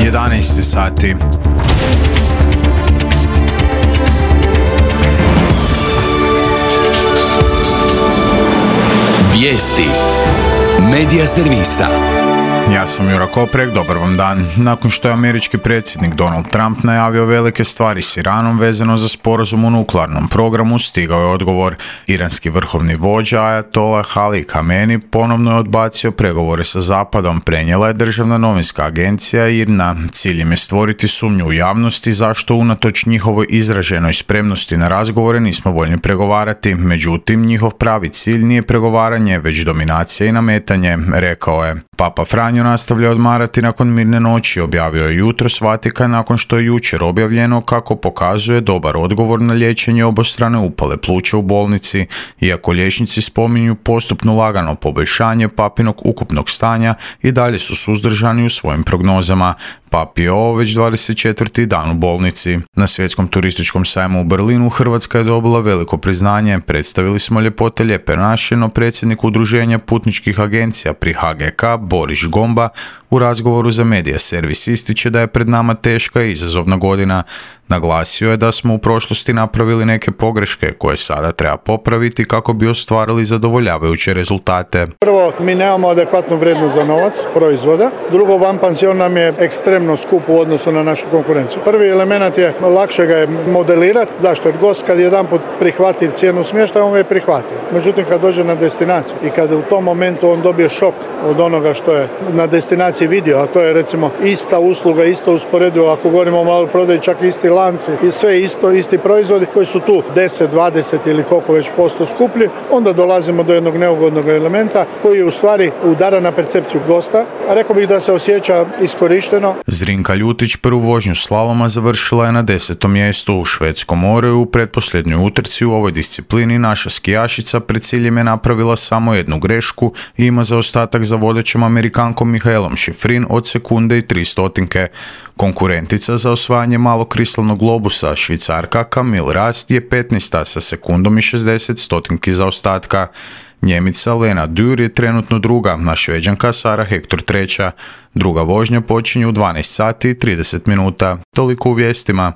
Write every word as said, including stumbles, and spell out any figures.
jedanaest sati. Vijesti Medija servisa. Ja sam Jura Koprek, dobar vam dan. Nakon što je američki predsjednik Donald Trump najavio velike stvari s Iranom vezano za sporazum o nuklearnom programu, stigao je odgovor. Iranski vrhovni vođa Ayatollah Ali Khamenei ponovno je odbacio pregovore sa Zapadom, prenijela je državna novinska agencija I R N A. Cilj im je stvoriti sumnju u javnosti zašto unatoč njihovoj izraženoj spremnosti na razgovore nismo voljni pregovarati. Međutim, njihov pravi cilj nije pregovaranje, već dominacija I nametanje, rekao je. Papa Franjo nastavlja odmarati nakon mirne noći, objavio je jutros Vatikan nakon što je jučer objavljeno kako pokazuje dobar odgovor na liječenje obostrane upale pluća u bolnici, iako liječnici spominju postupno lagano poboljšanje papinog ukupnog stanja I dalje su suzdržani u svojim prognozama. Papi je ovo već dvadeset četvrti dan u bolnici. Na svjetskom turističkom sajmu u Berlinu Hrvatska je dobila veliko priznanje. Predstavili smo ljepote lijepe naše, no predsjednik udruženja putničkih agencija pri H G K Boris Gomba u razgovoru za Medija servis ističe da je pred nama teška I izazovna godina. Naglasio je da smo u prošlosti napravili neke pogreške koje sada treba popraviti kako bi ostvarili zadovoljavajuće rezultate. Prvo, mi nemamo adekvatnu vrijednost za novac proizvoda. Drugo, van pansion nam je ekstremno skup u odnosu na našu konkurenciju. Prvi element je lakše ga je modelirati. Zašto? Jer gost kad jedanput prihvati cijenu smještaja, on ga je prihvatio. Međutim, kad dođe na destinaciju I kad u tom momentu on dobije šok od onoga što je na destinaciji vidio, a to je recimo ista usluga, isto usporedivo, ako govorimo o maloprodaji, čak isti lanci I sve isto, isti proizvodi koji su tu deset, dvadeset ili koliko već posto skuplji, onda dolazimo do jednog neugodnog elementa koji u stvari udara na percepciju gosta, a rekao bih da se osjeća iskorišteno. Zrinka Ljutić prvu vožnju slaloma završila je na desetom mjestu u Švedskom moru. U pretposljednjoj utrci u ovoj disciplini naša skijašica pred ciljem je napravila samo jednu grešku I ima zaostatak za vodećom Amerikankom Mihaelom Schifrin od sekunde I tri stotinke. Konkurentica za osvajanje malog kristalnog globusa, Švicarka Camille Rast, je petnaesta sa sekundom I šezdeset stotinki zaostatka. Njemica Lena Dürr je trenutno druga, a Šveđanka Sara Hector treća. Druga vožnja počinje u dvanaest sati I trideset minuta. Toliko u vijestima.